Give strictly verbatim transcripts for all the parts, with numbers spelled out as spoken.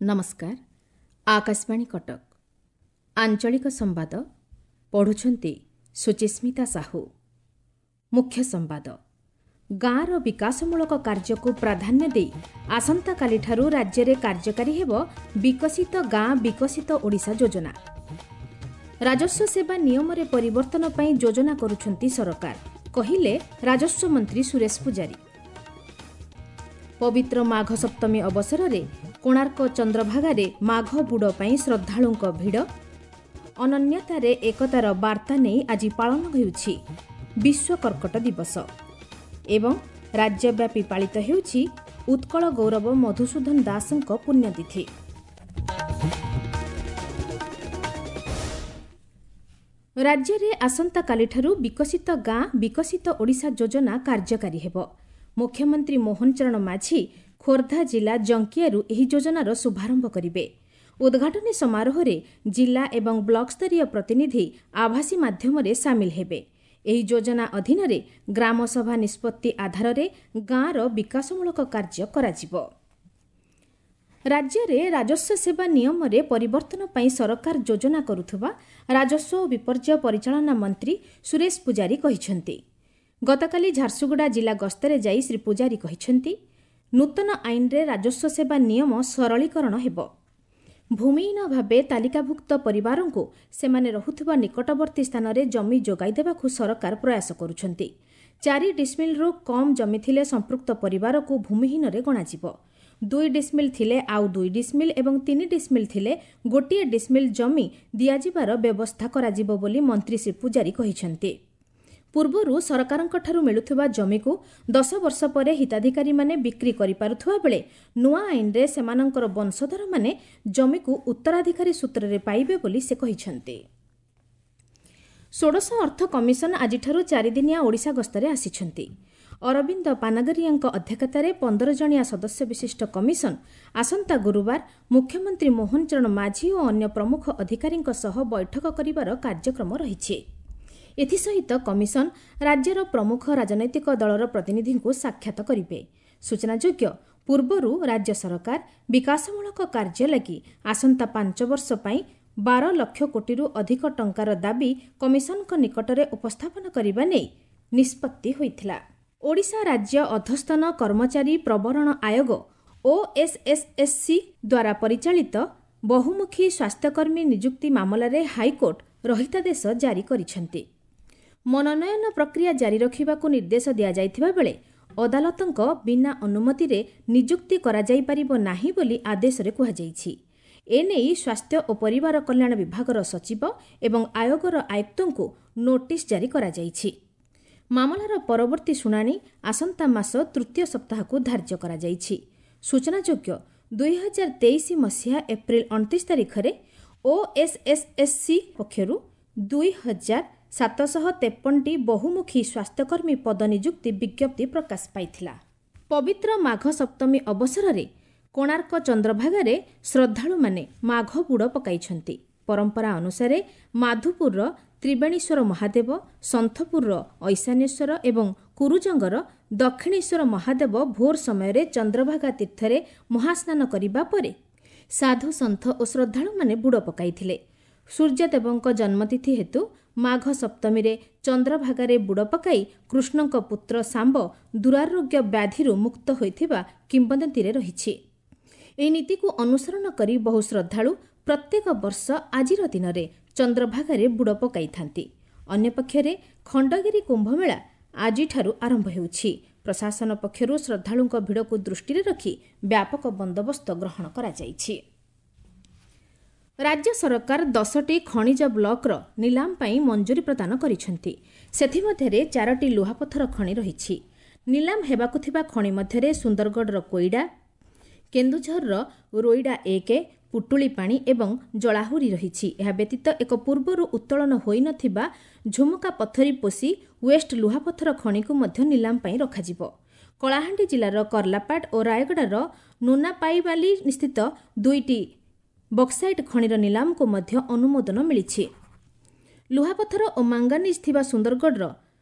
ନମସ୍କାର, ଆକାଶବାଣୀ କଟକ। ଆଞ୍ଚଳିକ ସମ୍ବାଦ ପଢ଼ୁଛନ୍ତି ସୁଚିସ୍ମିତା ସାହୁ। ମୁଖ୍ୟ ସମ୍ବାଦ। ଗାଁର ବିକାଶମୂଳକ କାର୍ଯ୍ୟକୁ ପ୍ରାଧାନ୍ୟ ଦେଇ ଆସନ୍ତାକାଲିଠାରୁ ରାଜ୍ୟରେ କାର୍ଯ୍ୟକାରୀ ହେବ ବିକଶିତ ଗାଁ ବିକଶିତ ଓଡ଼ିଶା ଯୋଜନା। ରାଜସ୍ୱ ସେବା ନିୟମରେ ପରିବର୍ତ୍ତନ ପାଇଁ ଯୋଜନା କରୁଛନ୍ତି ସରକାର, କହିଲେ ରାଜସ୍ୱ ମନ୍ତ୍ରୀ ସୁରେଶ ପୂଜାରୀ। ପବିତ୍ର ମାଘ ସପ୍ତମୀ ଅବସରରେ କୋଣାର୍କ ଚନ୍ଦ୍ରଭାଗାରେ ମାଘ ବୁଡ଼ ପାଇଁ ଶ୍ରଦ୍ଧାଳୁଙ୍କ ଭିଡ଼। ଅନନ୍ୟତାରେ ଏକତାର ବାର୍ତ୍ତା ନେଇ ଆଜି ପାଳନ ହେଉଛି ବିଶ୍ୱ କର୍କଟ ଦିବସ ଏବଂ ରାଜ୍ୟବ୍ୟାପୀ ପାଳିତ ହେଉଛି ଉତ୍କଳ ଗୌରବ ମଧୁସୂଦନ ଦାସଙ୍କ ପୁଣ୍ୟତିଥି। ରାଜ୍ୟରେ ଆସନ୍ତାକାଲିଠାରୁ ବିକଶିତ ଗାଁ ବିକଶିତ ଓଡ଼ିଶା ଯୋଜନା କାର୍ଯ୍ୟକାରୀ ହେବ। ମୁଖ୍ୟମନ୍ତ୍ରୀ ମୋହନ ଚରଣ ମାଝୀ ଖୋର୍ଦ୍ଧା ଜିଲ୍ଲା ଜଙ୍କିଆରୁ ଏହି ଯୋଜନାର ଶୁଭାରମ୍ଭ କରିବେ। ଉଦ୍ଘାଟନୀ ସମାରୋହରେ ଜିଲ୍ଲା ଏବଂ ବ୍ଲକସ୍ତରୀୟ ପ୍ରତିନିଧି ଆଭାସୀ ମାଧ୍ୟମରେ ସାମିଲ ହେବେ। ଏହି ଯୋଜନା ଅଧୀନରେ ଗ୍ରାମସଭା ନିଷ୍ପତ୍ତି ଆଧାରରେ ଗାଁର ବିକାଶମୂଳକ କାର୍ଯ୍ୟ କରାଯିବ। ରାଜ୍ୟରେ ରାଜସ୍ୱ ସେବା ନିୟମରେ ପରିବର୍ତ୍ତନ ପାଇଁ ସରକାର ଯୋଜନା କରୁଥିବା ରାଜସ୍ୱ ଓ ବିପର୍ଯ୍ୟୟ ପରିଚାଳନା ମନ୍ତ୍ରୀ ସୁରେଶ ପୂଜାରୀ କହିଛନ୍ତି। ଗତକାଲି ଝାରସୁଗୁଡ଼ା ଜିଲ୍ଲା ଗସ୍ତରେ ଯାଇ ଶ୍ରୀ ପୂଜାରୀ କହିଛନ୍ତି, ନୂତନ ଆଇନରେ ରାଜସ୍ୱ ସେବା ନିୟମ ସରଳୀକରଣ ହେବ। ଭୂମିହୀନ ଭାବେ ତାଲିକାଭୁକ୍ତ ପରିବାରଙ୍କୁ ସେମାନେ ରହୁଥିବା ନିକଟବର୍ତ୍ତୀ ସ୍ଥାନରେ ଜମି ଯୋଗାଇ ଦେବାକୁ ସରକାର ପ୍ରୟାସ କରୁଛନ୍ତି। ଚାରି ଡିସମିଲ୍ରୁ କମ୍ ଜମି ଥିଲେ ସମ୍ପୃକ୍ତ ପରିବାରକୁ ଭୂମିହୀନରେ ଗଣାଯିବ। ଦୁଇ ଡିସମିଲ୍ ଥିଲେ ଆଉ ଦୁଇ ଡିସମିଲ୍ ଏବଂ ତିନି ଡିସମିଲ୍ ଥିଲେ ଗୋଟିଏ ଡିସମିଲ୍ ଜମି ଦିଆଯିବାର ବ୍ୟବସ୍ଥା କରାଯିବ ବୋଲି ମନ୍ତ୍ରୀ ଶ୍ରୀ ପୂଜାରୀ କହିଛନ୍ତି। ପୂର୍ବରୁ ସରକାରଙ୍କଠାରୁ ମିଳୁଥିବା ଜମିକୁ ଦଶ ବର୍ଷ ପରେ ହିତାଧିକାରୀମାନେ ବିକ୍ରି କରିପାରୁଥିବା ବେଳେ ନୂଆ ଆଇନରେ ସେମାନଙ୍କର ବଂଶଧରମାନେ ଜମିକୁ ଉତ୍ତରାଧିକାରୀ ସୂତ୍ରରେ ପାଇବେ ବୋଲି ସେ କହିଛନ୍ତି। ଷୋଡ଼ଶ ଅର୍ଥ କମିଶନ ଆଜିଠାରୁ ଚାରିଦିନିଆ ଓଡ଼ିଶା ଗସ୍ତରେ ଆସିଛନ୍ତି। ଅରବିନ୍ଦ ପାନଗରିଆଙ୍କ ଅଧ୍ୟକ୍ଷତାରେ ପନ୍ଦର ଜଣିଆ ସଦସ୍ୟ ବିଶିଷ୍ଟ କମିଶନ ଆସନ୍ତା ଗୁରୁବାର ମୁଖ୍ୟମନ୍ତ୍ରୀ ମୋହନ ଚରଣ ମାଝୀ ଓ ଅନ୍ୟ ପ୍ରମୁଖ ଅଧିକାରୀଙ୍କ ସହ ବୈଠକ କରିବାର କାର୍ଯ୍ୟକ୍ରମ ରହିଛି। ଏଥିସହିତ କମିଶନ ରାଜ୍ୟର ପ୍ରମୁଖ ରାଜନୈତିକ ଦଳର ପ୍ରତିନିଧିଙ୍କୁ ସାକ୍ଷାତ କରିବେ। ସୂଚନାଯୋଗ୍ୟ, ପୂର୍ବରୁ ରାଜ୍ୟ ସରକାର ବିକାଶମୂଳକ କାର୍ଯ୍ୟ ଲାଗି ଆସନ୍ତା ପାଞ୍ଚ ବର୍ଷ ପାଇଁ ବାର ଲକ୍ଷ କୋଟିରୁ ଅଧିକ ଟଙ୍କାର ଦାବି କମିଶନଙ୍କ ନିକଟରେ ଉପସ୍ଥାପନ କରିବା ନେଇ ନିଷ୍ପତ୍ତି ହୋଇଥିଲା। ଓଡ଼ିଶା ରାଜ୍ୟ ଅଧସ୍ତନ କର୍ମଚାରୀ ପ୍ରବରଣ ଆୟୋଗ ଓଏସ୍ଏସ୍ଏସ୍ସି ଦ୍ୱାରା ପରିଚାଳିତ ବହୁମୁଖୀ ସ୍ୱାସ୍ଥ୍ୟକର୍ମୀ ନିଯୁକ୍ତି ମାମଲାରେ ହାଇକୋର୍ଟ ରହିତାଦେଶ ଜାରି କରିଛନ୍ତି। ମନୋନୟନ ପ୍ରକ୍ରିୟା ଜାରି ରଖିବାକୁ ନିର୍ଦ୍ଦେଶ ଦିଆଯାଇଥିବା ବେଳେ ଅଦାଲତଙ୍କ ବିନା ଅନୁମତିରେ ନିଯୁକ୍ତି କରାଯାଇପାରିବ ନାହିଁ ବୋଲି ଆଦେଶରେ କୁହାଯାଇଛି। ଏନେଇ ସ୍ୱାସ୍ଥ୍ୟ ଓ ପରିବାର କଲ୍ୟାଣ ବିଭାଗର ସଚିବ ଏବଂ ଆୟୋଗର ଆୟୁକ୍ତଙ୍କୁ ନୋଟିସ୍ ଜାରି କରାଯାଇଛି। ମାମଲାର ପରବର୍ତ୍ତୀ ଶୁଣାଣି ଆସନ୍ତା ମାସ ତୃତୀୟ ସପ୍ତାହକୁ ଧାର୍ଯ୍ୟ କରାଯାଇଛି। ସୂଚନାଯୋଗ୍ୟ, ଦୁଇ ହଜାର ତେଇଶ ମସିହା ଏପ୍ରିଲ ଅଣତିରିଶ ତାରିଖରେ ଓଏସ୍ଏସ୍ଏସ୍ସି ପକ୍ଷରୁ ଦୁଇ ହଜାର ସାତଶହ ତେପନଟି ବହୁମୁଖୀ ସ୍ୱାସ୍ଥ୍ୟକର୍ମୀ ପଦ ନିଯୁକ୍ତି ବିଜ୍ଞପ୍ତି ପ୍ରକାଶ ପାଇଥିଲା। ପବିତ୍ର ମାଘ ସପ୍ତମୀ ଅବସରରେ କୋଣାର୍କ ଚନ୍ଦ୍ରଭାଗାରେ ଶ୍ରଦ୍ଧାଳୁମାନେ ମାଘ ବୁଡ଼ ପକାଇଛନ୍ତି। ପରମ୍ପରା ଅନୁସାରେ ମାଧୁପୁରର ତ୍ରିବେଣୀଶ୍ୱର ମହାଦେବ, ସନ୍ଥପୁରର ଐଶାନ୍ୟେଶ୍ୱର ଏବଂ କୁରୁଜଙ୍ଗର ଦକ୍ଷିଣେଶ୍ୱର ମହାଦେବ ଭୋର ସମୟରେ ଚନ୍ଦ୍ରଭାଗା ତୀର୍ଥରେ ମହାସ୍ନାନ କରିବା ପରେ ସାଧୁ ସନ୍ଥ ଓ ଶ୍ରଦ୍ଧାଳୁମାନେ ବୁଡ଼ ପକାଇଥିଲେ। ସୂର୍ଯ୍ୟଦେବଙ୍କ ଜନ୍ମତିଥି ହେତୁ ମାଘ ସପ୍ତମୀରେ ଚନ୍ଦ୍ରଭାଗାରେ ବୁଡ଼ ପକାଇ କୃଷ୍ଣଙ୍କ ପୁତ୍ର ଶାମ୍ବ ଦୁରାରୋଗ୍ୟ ବ୍ୟାଧିରୁ ମୁକ୍ତ ହୋଇଥିବା କିମ୍ବଦନ୍ତୀରେ ରହିଛି। ଏହି ନୀତିକୁ ଅନୁସରଣ କରି ବହୁ ଶ୍ରଦ୍ଧାଳୁ ପ୍ରତ୍ୟେକ ବର୍ଷ ଆଜିର ଦିନରେ ଚନ୍ଦ୍ରଭାଗାରେ ବୁଡ଼ ପକାଇଥାନ୍ତି। ଅନ୍ୟପକ୍ଷରେ ଖଣ୍ଡଗିରି କୁମ୍ଭମେଳା ଆଜିଠାରୁ ଆରମ୍ଭ ହେଉଛି। ପ୍ରଶାସନ ପକ୍ଷରୁ ଶ୍ରଦ୍ଧାଳୁଙ୍କ ଭିଡ଼କୁ ଦୃଷ୍ଟିରେ ରଖି ବ୍ୟାପକ ବନ୍ଦୋବସ୍ତ ଗ୍ରହଣ କରାଯାଇଛି। ରାଜ୍ୟ ସରକାର ଦଶଟି ଖଣିଜ ବ୍ଲକର ନିଲାମ ପାଇଁ ମଞ୍ଜୁରୀ ପ୍ରଦାନ କରିଛନ୍ତି। ସେଥିମଧ୍ୟରେ ଚାରୋଟି ଲୁହାପଥର ଖଣି ରହିଛି। ନିଲାମ ହେବାକୁ ଥିବା ଖଣି ମଧ୍ୟରେ ସୁନ୍ଦରଗଡ଼ର କୋଇଡ଼ା, କେନ୍ଦୁଝରର ରୋଇଡ଼ା ଏକ, ପୁଟୁଳିପାଣି ଏବଂ ଜଳାହୁରି ରହିଛି। ଏହା ବ୍ୟତୀତ ଏକ ପୂର୍ବରୁ ଉତ୍ତୋଳନ ହୋଇନଥିବା ଝୁମୁକା ପଥରୀ ପୋଷି ୱେଷ୍ଟ ଲୁହାପଥର ଖଣିକୁ ମଧ୍ୟ ନିଲାମ ପାଇଁ ରଖାଯିବ। କଳାହାଣ୍ଡି ଜିଲ୍ଲାର କର୍ଲାପାଟ ଓ ରାୟଗଡ଼ାର ନୁନାପାଇବାଲି ସ୍ଥିତ ଦୁଇଟି ବକ୍ସାଇଟ୍ ଖଣିର ନିଲାମକୁ ମଧ୍ୟ ଅନୁମୋଦନ ମିଳିଛି। ଲୁହାପଥର ଓ ମାଙ୍ଗାନିଜ୍ ଥିବା ସୁନ୍ଦରଗଡ଼ର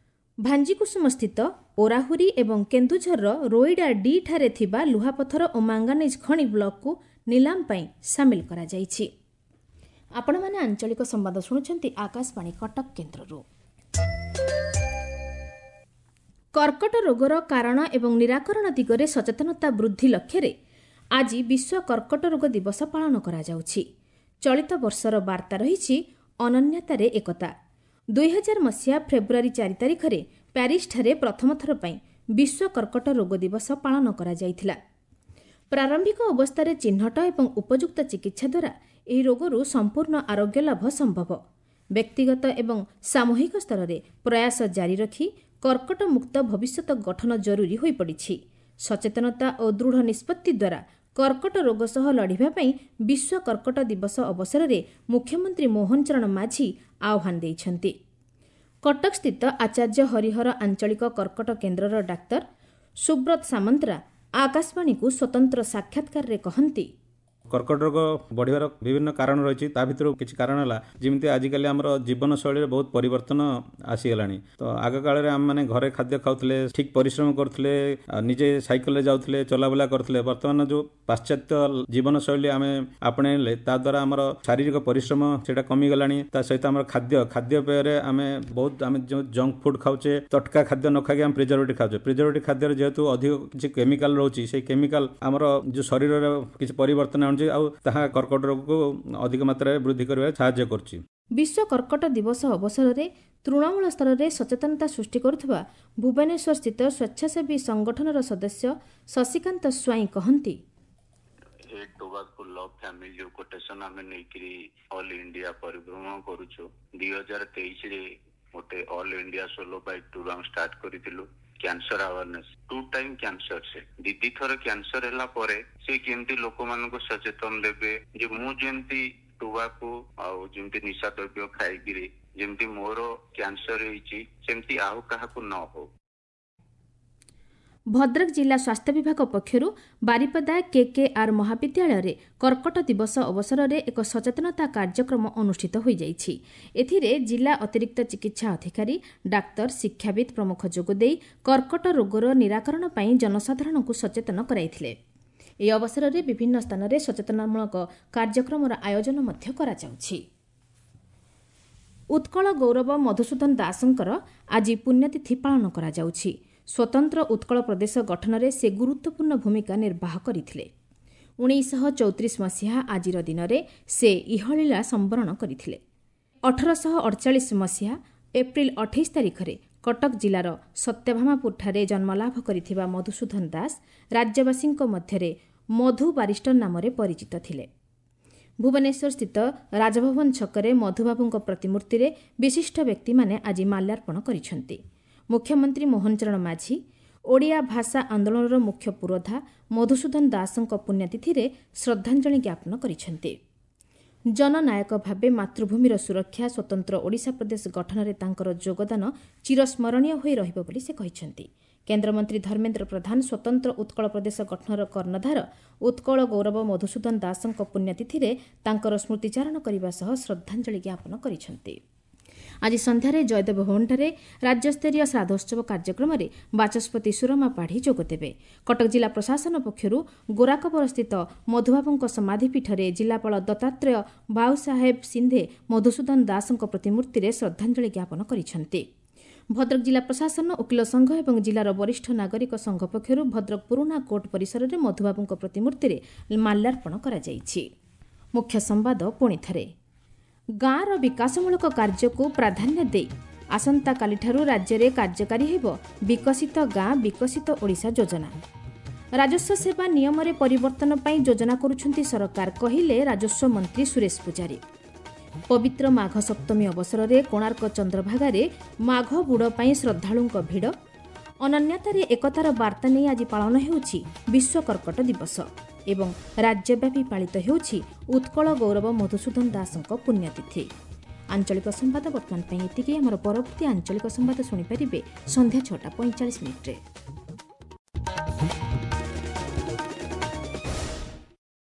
ଭାଞ୍ଜିକୁସୁମସ୍ଥିତ ଓରାହୁରି ଏବଂ କେନ୍ଦୁଝରର ରୋଇଡ଼ା ଡି ଠାରେ ଥିବା ଲୁହାପଥର ଓ ମାଙ୍ଗାନିଜ୍ ଖଣି ବ୍ଲକକୁ ନିଲାମ ପାଇଁ ସାମିଲ କରାଯାଇଛି। ଆପଣମାନେ ଆଞ୍ଚଳିକ ସମ୍ବାଦ ଶୁଣୁଛନ୍ତି ଆକାଶବାଣୀ କଟକ କେନ୍ଦ୍ରରୁ। କର୍କଟ ରୋଗର କାରଣ ଏବଂ ନିରାକରଣ ଦିଗରେ ସଚେତନତା ବୃଦ୍ଧି ଲକ୍ଷ୍ୟରେ ଆଜି ବିଶ୍ୱ କର୍କଟ ରୋଗ ଦିବସ ପାଳନ କରାଯାଉଛି। ଚଳିତ ବର୍ଷର ବାର୍ତ୍ତା ରହିଛି ଅନନ୍ୟତାରେ ଏକତା। ଦୁଇହଜାର ମସିହା ଫେବୃଆରୀ ଚାରି ତାରିଖରେ ପ୍ୟାରିସଠାରେ ପ୍ରଥମ ଥର ପାଇଁ ବିଶ୍ୱ କର୍କଟ ରୋଗ ଦିବସ ପାଳନ କରାଯାଇଥିଲା। ପ୍ରାରମ୍ଭିକ ଅବସ୍ଥାରେ ଚିହ୍ନଟ ଏବଂ ଉପଯୁକ୍ତ ଚିକିତ୍ସା ଦ୍ୱାରା ଏହି ରୋଗରୁ ସମ୍ପୂର୍ଣ୍ଣ ଆରୋଗ୍ୟ ଲାଭ ସମ୍ଭବ। ବ୍ୟକ୍ତିଗତ ଏବଂ ସାମୂହିକ ସ୍ତରରେ ପ୍ରୟାସ ଜାରି ରଖି କର୍କଟ ମୁକ୍ତ ଭବିଷ୍ୟତ ଗଠନ ଜରୁରୀ ହୋଇପଡ଼ିଛି। ସଚେତନତା ଓ ଦୃଢ଼ ନିଷ୍ପତ୍ତି ଦ୍ୱାରା କର୍କଟ ରୋଗ ସହ ଲଢ଼ିବା ପାଇଁ ବିଶ୍ୱ କର୍କଟ ଦିବସ ଅବସରରେ ମୁଖ୍ୟମନ୍ତ୍ରୀ ମୋହନ ଚରଣ ମାଝୀ ଆହ୍ୱାନ ଦେଇଛନ୍ତି। କଟକସ୍ଥିତ ଆଚାର୍ଯ୍ୟ ହରିହର ଆଞ୍ଚଳିକ କର୍କଟ କେନ୍ଦ୍ରର ଡାକ୍ତର ସୁବ୍ରତ ସାମନ୍ତରା ଆକାଶବାଣୀକୁ ସ୍ୱତନ୍ତ୍ର ସାକ୍ଷାତକାରରେ କହନ୍ତି, କର୍କଟ ରୋଗ ବଢ଼ିବାର ବିଭିନ୍ନ କାରଣ ରହିଛି। ତା ଭିତରୁ କିଛି କାରଣ ହେଲା ଯେମିତି ଆଜିକାଲି ଆମର ଜୀବନଶୈଳୀରେ ବହୁତ ପରିବର୍ତ୍ତନ ଆସିଗଲାଣି। ତ ଆଗ କାଳରେ ଆମେମାନେ ଘରେ ଖାଦ୍ୟ ଖାଉଥିଲେ, ଠିକ୍ ପରିଶ୍ରମ କରୁଥିଲେ, ନିଜେ ସାଇକେଲରେ ଯାଉଥିଲେ, ଚଲାବୁଲା କରୁଥିଲେ। ବର୍ତ୍ତମାନ ଯେଉଁ ପାଶ୍ଚାତ୍ୟ ଜୀବନଶୈଳୀ ଆମେ ଆପଣେଇଲେ ତା ଦ୍ୱାରା ଆମର ଶାରୀରିକ ପରିଶ୍ରମ ସେଇଟା କମିଗଲାଣି। ତା ସହିତ ଆମର ଖାଦ୍ୟ ଖାଦ୍ୟପେୟରେ ଆମେ ବହୁତ ଆମେ ଯେଉଁ ଜଙ୍କ ଫୁଡ୍ ଖାଉଛେ, ତଟକା ଖାଦ୍ୟ ନ ଖାଇକି ଆମେ ପ୍ରିଜର୍ଭେଟିଭ୍ ଖାଉଛେ। ପ୍ରିଜର୍ଭେଟିଭ୍ ଖାଦ୍ୟରେ ଯେହେତୁ ଅଧିକ କିଛି କେମିକାଲ ରହୁଛି, ସେଇ କେମିକାଲ ଆମର ଯେଉଁ ଶରୀରରେ କିଛି ପରିବର୍ତ୍ତନ ଆଣୁଛି ଆଉ ତାହା କର୍କଟ ରୋଗକୁ ଅଧିକ ମାତ୍ରାରେ ବୃଦ୍ଧି କରିବାରେ ସାହାଯ୍ୟ କରୁଛି। ବିଶ୍ୱ କର୍କଟ ଦିବସ ଅବସରରେ ତୃଣମୂଳ ସ୍ତରରେ ସଚେତନତା ସୃଷ୍ଟି କରୁଥିବା ଭୁବନେଶ୍ୱରସ୍ଥିତ ସ୍ୱେଚ୍ଛାସେବୀ ସଂଗଠନର ସଦସ୍ୟ ଶଶିକାନ୍ତ ସ୍ୱାଇଁ କହନ୍ତି, ଟୋବାକୋ ଲଭ୍ ଫ୍ୟାମିଲି ଯୋଉ କୋଟେସନ ଆମେ ନେଇକିରି ଅଲ୍ ଇଣ୍ଡିଆ ପରିଭ୍ରମଣ କରୁଛୁ। ଦୁଇ ହଜାର ତେଇଶରେ ଗୋଟେ all India solo bike tour ଆମେ ଷ୍ଟାର୍ଟ କରିଥିଲୁ। Cancer awareness, two time cancer, ସେ ଦି ଦି ଥର କ୍ୟାନ୍ସର ହେଲା ପରେ ସେ କେମିତି ଲୋକମାନଙ୍କୁ ସଚେତନ ଦେବେ ଯେ ମୁଁ ଯେମିତି ଟୋବାକୋ ଆଉ ଯେମିତି ନିଶା ଦ୍ରବ୍ୟ ଖାଇକିରି ଯେମିତି ମୋର କ୍ୟାନ୍ସର ହେଇଛି ସେମିତି ଆଉ କାହାକୁ ନ ହଉ। ଭଦ୍ରକ ଜିଲ୍ଲା ସ୍ୱାସ୍ଥ୍ୟ ବିଭାଗ ପକ୍ଷରୁ ବାରିପଦା କେକେଆର୍ ମହାବିଦ୍ୟାଳୟରେ କର୍କଟ ଦିବସ ଅବସରରେ ଏକ ସଚେତନତା କାର୍ଯ୍ୟକ୍ରମ ଅନୁଷ୍ଠିତ ହୋଇଯାଇଛି। ଏଥିରେ ଜିଲ୍ଲା ଅତିରିକ୍ତ ଚିକିତ୍ସା ଅଧିକାରୀ, ଡାକ୍ତର, ଶିକ୍ଷାବିତ୍ ପ୍ରମୁଖ ଯୋଗଦେଇ କର୍କଟ ରୋଗର ନିରାକରଣ ପାଇଁ ଜନସାଧାରଣଙ୍କୁ ସଚେତନ କରାଇଥିଲେ। ଏହି ଅବସରରେ ବିଭିନ୍ନ ସ୍ଥାନରେ ସଚେତନମୂଳକ କାର୍ଯ୍ୟକ୍ରମର ଆୟୋଜନ ମଧ୍ୟ କରାଯାଉଛି। ଉତ୍କଳ ଗୌରବ ମଧୁସୂଦନ ଦାସଙ୍କର ଆଜି ପୁଣ୍ୟତିଥି ପାଳନ କରାଯାଉଛି। ସ୍ୱତନ୍ତ୍ର ଉତ୍କଳ ପ୍ରଦେଶ ଗଠନରେ ସେ ଗୁରୁତ୍ୱପୂର୍ଣ୍ଣ ଭୂମିକା ନିର୍ବାହ କରିଥିଲେ। ଉଣେଇଶହ ଚଉତିରିଶ ମସିହା ଆଜିର ଦିନରେ ସେ ଇହଲୀଳା ସମ୍ବରଣ କରିଥିଲେ। ଅଠରଶହ ଅଡ଼ଚାଳିଶ ମସିହା ଏପ୍ରିଲ ଅଠେଇଶ ତାରିଖରେ କଟକ ଜିଲ୍ଲାର ସତ୍ୟଭାମାପୁରଠାରେ ଜନ୍ମଲାଭ କରିଥିବା ମଧୁସୂଦନ ଦାସ ରାଜ୍ୟବାସୀଙ୍କ ମଧ୍ୟରେ ମଧୁ ବାରିଷ୍ଟର ନାମରେ ପରିଚିତ ଥିଲେ। ଭୁବନେଶ୍ୱରସ୍ଥିତ ରାଜଭବନ ଛକରେ ମଧୁବାବୁଙ୍କ ପ୍ରତିମୂର୍ତ୍ତିରେ ବିଶିଷ୍ଟ ବ୍ୟକ୍ତିମାନେ ଆଜି ମାଲ୍ୟାର୍ପଣ କରିଛନ୍ତି। ମୁଖ୍ୟମନ୍ତ୍ରୀ ମୋହନ ଚରଣ ମାଝୀ ଓଡ଼ିଆ ଭାଷା ଆନ୍ଦୋଳନର ମୁଖ୍ୟ ପୁରୋଧା ମଧୁସୂଦନ ଦାସଙ୍କ ପୁଣ୍ୟତିଥିରେ ଶ୍ରଦ୍ଧାଞ୍ଜଳି ଜ୍ଞାପନ କରିଛନ୍ତି। ଜନନାୟକ ଭାବେ ମାତୃଭୂମିର ସୁରକ୍ଷା, ସ୍ୱତନ୍ତ୍ର ଓଡ଼ିଶା ପ୍ରଦେଶ ଗଠନରେ ତାଙ୍କର ଯୋଗଦାନ ଚିରସ୍ମରଣୀୟ ହୋଇ ରହିବ ବୋଲି ସେ କହିଛନ୍ତି। କେନ୍ଦ୍ରମନ୍ତ୍ରୀ ଧର୍ମେନ୍ଦ୍ର ପ୍ରଧାନ ସ୍ୱତନ୍ତ୍ର ଉତ୍କଳ ପ୍ରଦେଶ ଗଠନର କର୍ଣ୍ଣଧାର ଉତ୍କଳ ଗୌରବ ମଧୁସୂଦନ ଦାସଙ୍କ ପୁଣ୍ୟତିଥିରେ ତାଙ୍କର ସ୍ମୃତିଚାରଣ କରିବା ସହ ଶ୍ରଦ୍ଧାଞ୍ଜଳି ଜ୍ଞାପନ କରିଛନ୍ତି। ଆଜି ସନ୍ଧ୍ୟାରେ ଜୟଦେବ ଭବନଠାରେ ରାଜ୍ୟସ୍ତରୀୟ ଶ୍ରାଦ୍ଧୋତ୍ସବ କାର୍ଯ୍ୟକ୍ରମରେ ବାଚସ୍ପତି ସୁରମା ପାଢ଼ୀ ଯୋଗଦେବେ। କଟକ ଜିଲ୍ଲା ପ୍ରଶାସନ ପକ୍ଷରୁ ଗୋରାକବରସ୍ଥିତ ମଧୁବାବୁଙ୍କ ସମାଧିପୀଠରେ ଜିଲ୍ଲାପାଳ ଦତ୍ତାତ୍ରେୟ ଭାଉସାହେବ ସିନ୍ଧେ ମଧୁସୂଦନ ଦାସଙ୍କ ପ୍ରତିମୂର୍ତ୍ତିରେ ଶ୍ରଦ୍ଧାଞ୍ଜଳି ଜ୍ଞାପନ କରିଛନ୍ତି। ଭଦ୍ରକ ଜିଲ୍ଲା ପ୍ରଶାସନ, ଓକିଲ ସଂଘ ଏବଂ ଜିଲ୍ଲାର ବରିଷ୍ଠ ନାଗରିକ ସଂଘ ପକ୍ଷରୁ ଭଦ୍ରକ ପୁରୁଣା କୋର୍ଟ ପରିସରରେ ମଧୁବାବୁଙ୍କ ପ୍ରତିମୂର୍ତ୍ତିରେ ମାଲ୍ୟାର୍ପଣ କରାଯାଇଛି। ମୁଖ୍ୟ ସମ୍ବାଦ ପୁଣିଥରେ, ଗାଁର ବିକାଶମୂଳକ କାର୍ଯ୍ୟକୁ ପ୍ରାଧାନ୍ୟ ଦେଇ ଆସନ୍ତାକାଲିଠାରୁ ରାଜ୍ୟରେ କାର୍ଯ୍ୟକାରୀ ହେବ ବିକଶିତ ଗାଁ ବିକଶିତ ଓଡ଼ିଶା ଯୋଜନା। ରାଜସ୍ୱ ସେବା ନିୟମରେ ପରିବର୍ତ୍ତନ ପାଇଁ ଯୋଜନା କରୁଛନ୍ତି ସରକାର, କହିଲେ ରାଜସ୍ୱ ମନ୍ତ୍ରୀ ସୁରେଶ ପୂଜାରୀ। ପବିତ୍ର ମାଘ ସପ୍ତମୀ ଅବସରରେ କୋଣାର୍କ ଚନ୍ଦ୍ରଭାଗାରେ ମାଘ ବୁଡ଼ ପାଇଁ ଶ୍ରଦ୍ଧାଳୁଙ୍କ ଭିଡ଼। ଅନନ୍ୟତାରେ ଏକତାର ବାର୍ତ୍ତା ନେଇ ଆଜି ପାଳନ ହେଉଛି ବିଶ୍ୱ କର୍କଟ ଦିବସ ଏବଂ ରାଜ୍ୟବ୍ୟାପୀ ପାଳିତ ହେଉଛି ଉତ୍କଳ ଗୌରବ ମଧୁସୂଦନ ଦାସଙ୍କ ପୁଣ୍ୟତିଥି। ଆଞ୍ଚଳିକ ସମ୍ବାଦ ବର୍ତ୍ତମାନ ପାଇଁ ଏତିକି। ଆମର ପରବର୍ତ୍ତୀ ଆଞ୍ଚଳିକ ସମ୍ବାଦ ଶୁଣିପାରିବେ ସନ୍ଧ୍ୟା ଛଅଟା ପଇଁଚାଳିଶ ମିନିଟ୍ରେ।